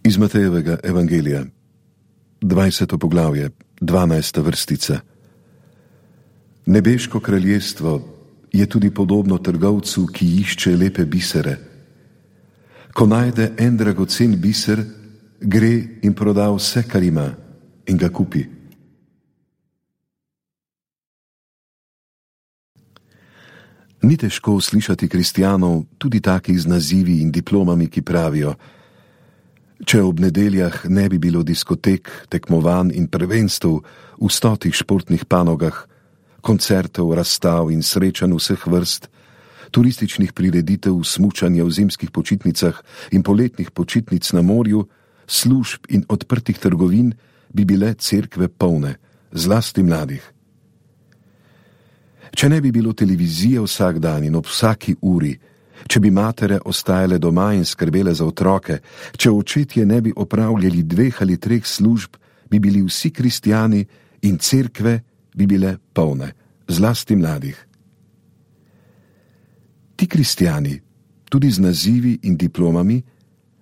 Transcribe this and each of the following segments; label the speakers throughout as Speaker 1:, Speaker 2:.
Speaker 1: Iz Matejevega evangelija, 20. poglavje, 12. vrstica. Nebeško kraljestvo je tudi podobno trgovcu, ki išče lepe bisere. Ko najde en dragocen biser, gre in proda vse, kar ima, in ga kupi. Ni težko slišati kristjanov, tudi takih z nazivi in diplomami, ki pravijo: če ob nedeljah ne bi bilo diskotek, tekmovanj in prvenstev v 100 športnih panogah, koncertov, razstav in srečanj vseh vrst, turističnih prireditev, smučanja v zimskih počitnicah in poletnih počitnic na morju, služb in odprtih trgovin, bi bile cerkve polne, zlasti mladih. Če ne bi bilo televizije vsak dan in ob vsaki uri, če bi matere ostajale doma in skrbele za otroke, če očetje ne bi opravljali 2 ali 3 služb, bi bili vsi kristjani in cerkve bi bile polne, zlasti mladih. Ti kristjani, tudi z nazivi in diplomami,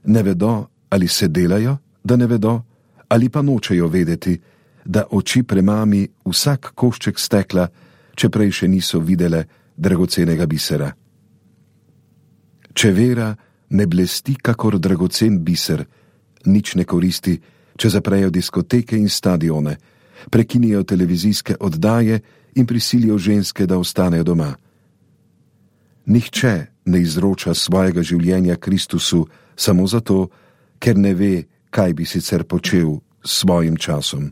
Speaker 1: ne vedo, ali se delajo, da ne vedo, ali pa nočejo vedeti, da oči premami vsak košček stekla, če prej še niso videle dragocenega bisera. Če vera ne blesti kakor dragocen biser, nič ne koristi, če zaprejo diskoteke in stadione, prekinijo televizijske oddaje in prisilijo ženske, da ostanejo doma. Nihče ne izroča svojega življenja Kristusu samo zato, ker ne ve, kaj bi sicer počel s svojim časom.